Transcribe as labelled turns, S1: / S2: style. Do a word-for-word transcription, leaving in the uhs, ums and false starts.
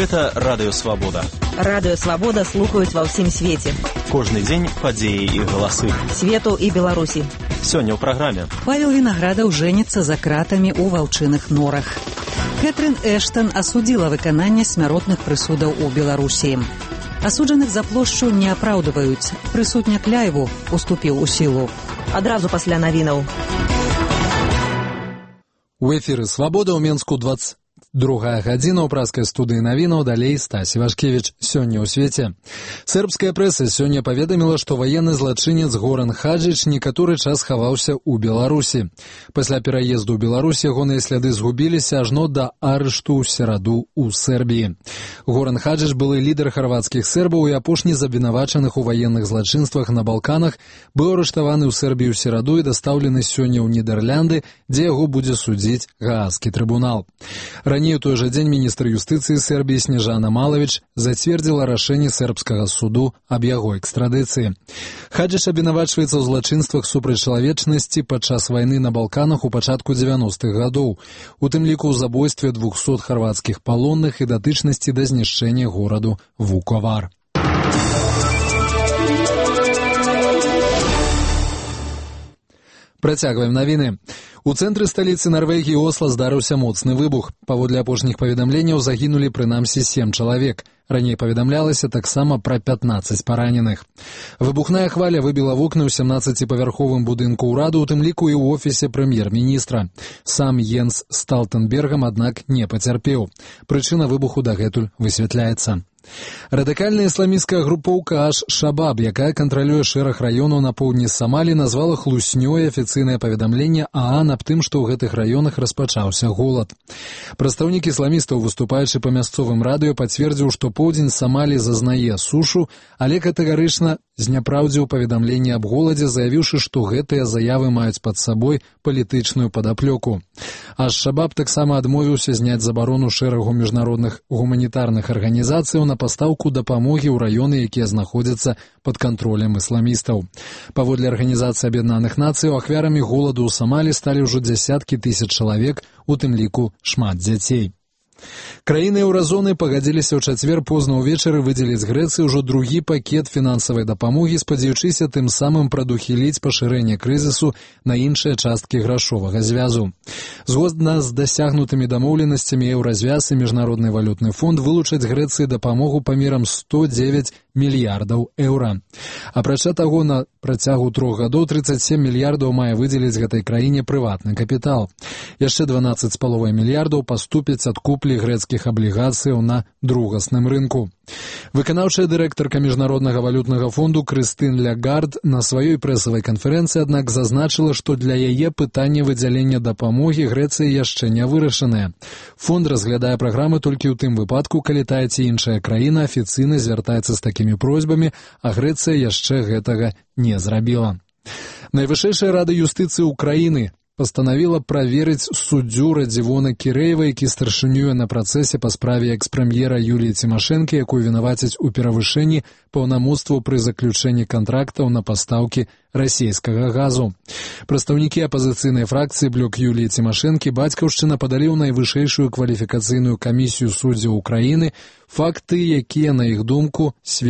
S1: Гэта Радыё Свабода.
S2: Радыё Свабода слухаюць ва ўсім свеце.
S1: Кожны дзень падзеі і галасы.
S2: Свету і Беларусі.
S1: Сёння ў праграме.
S3: Павел Вінаградаў жэніцца за кратамі ў ваўчыных норах. Кэтрын Эштон асудзіла выкананне смяротных прысудаў у Беларусі. Асуджаных за плошчу не апраўдваюць. Прысуд Някляеву уступіў у сілу.
S2: Адразу пасля навінаў.
S4: У эфіры «Свабода» ў Менску двадцать другая гадзіна ў праскай студыі навінаў, далей Стась Івашкевіч. Сёння ў свеце. Сербская прэса сёння паведаміла, што ваенны злачынец Горан Хаджыч некаторы час хаваўся ў Беларусі. Пасля пераезду ў Беларусь ягоныя сляды згубіліся ажно да арышту ў сераду ў Сербіі. Горан Хаджыч, былы лідар харвацкіх сербаў і апошні з абвінавачаных у ваенных злачынствах на Балканах, быў арыштаваны ў Сербію ў сераду і дастаўлены сёння ў Нідерлянды, дзе яго будзе судзіць Гаазскі трыбунал. Раней у той жа дзень міністр юстыцыі Сербіі Снежана Малавіч зацвердзіла рашэнне сербскага суду аб яго экстрадыцыі. Хаджыч абвінавачваецца ў злачынствах супраць чалавечнасці падчас вайны на Балканах у пачатку дзевяностых гадоў, у тым ліку ў забойстве двухсот харвацкіх палонных і датычнасці да знішчэння гораду Вуковар. Працягваем навіны. У цэнтры сталіцы Нарвегіі Осла здарыўся моцны выбух. Паводле апошніх паведамленняў загінулі прынамсі сем чалавек. Раней паведамлялася таксама пра пятнаццаць параненых. Выбухная хваля выбіла вокны ў сямнаццаціпавярховым будынку ўраду, у тым ліку і ў офісе прэм'ер-міністра. Сам Йенс Сталтенбергам, аднак, не пацярпеў. Прычына выбуху дагэтуль высвятляецца. Радыкальная ісламісцкая групоўка Аш-Шабаб, якая кантралюе шэраг раёнаў на поўдні Самалі, назвала хлуснёй афіцыйнае паведамленне ААН аб тым, што ў гэтых раёнах распачаўся голад. Прадстаўнік ісламістаў, выступаючы па мясцовым радыё, пацвердзіў, што поўдзень Самалі зазнае сушу, але катэгарычна зняпраўдзіў паведамленне аб голадзе, заявіўшы, што гэтыя заявы маюць пад сабой палітычную падаплёку. Аш-Шабаб таксама адмовіўся зняць забарону шэрагу міжнародных гуманітарных арганізацыяў на пастаўку дапамогі ў раёны, якія знаходзяцца пад кантролем ісламістаў. Паводле Арганізацыі Аб'яднаных Нацыяў, ахвярамі голаду ў Самалі сталі ўжо дзясяткі тысяч чалавек, у тым ліку шмат дзяцей. Краіны еўразоны пагадзіліся ў чацвер позна ўвечары выдзеліць Грэцыі ўжо другі пакет фінансавай дапамогі, спадзяючыся тым самым прадухіліць пашырэнне крызісу на іншыя часткі грашовага звязу. Згодна з дасягнутымі дамоўленасцямі, еўразвяз і Міжнародны валютны фонд вылучаць Грэцыі дапамогу памерам сто дзевяць мільярдаў еўра. Апрача таго, на працягу трох гадоў трыццаць сем мільярдаў мае выдзеліць гэтай краіне прыватны капітал. Яшчэ дванаццаць з паловай мільярдаў паступяць ад куплі грэцкіх аблігацыяў на другасным рынку. Выканаўчая дырэктарка Міжнароднага валютнага фонду Крыстын Лягард на сваёй прэсавай канферэнцыі, аднак, зазначыла, што для яе пытанне выдзялення дапамогі Грэцыі яшчэ не вырашанае. Фонд разглядае праграмы толькі ў тым выпадку, калі тая ці іншая краіна афіцыйна звяртаецца з такімі просьбамі, а Грэцыя яшчэ гэтага не зрабіла. Найвышэйшая рада юстыцыі ўкраіны пастанавіла праверыць суддзю Радзівона Кірэева, які старшынюе на працэсе па справе экс-прэм'ера Юліі Цімашэнкі, якую вінавацяць у перавышэнні паўнамоцтваў пры заключэнні кантрактаў на пастаўкі расійскага газу. Прадстаўнікі апазіцыйнай фракцыі «Блок» Юліі Цімашэнкі «Бацькаўшчына» падалі ў найвышэйшую кваліфікацыйную камісію суддзяў Украіны факты, якія, на іх думку, сведчаць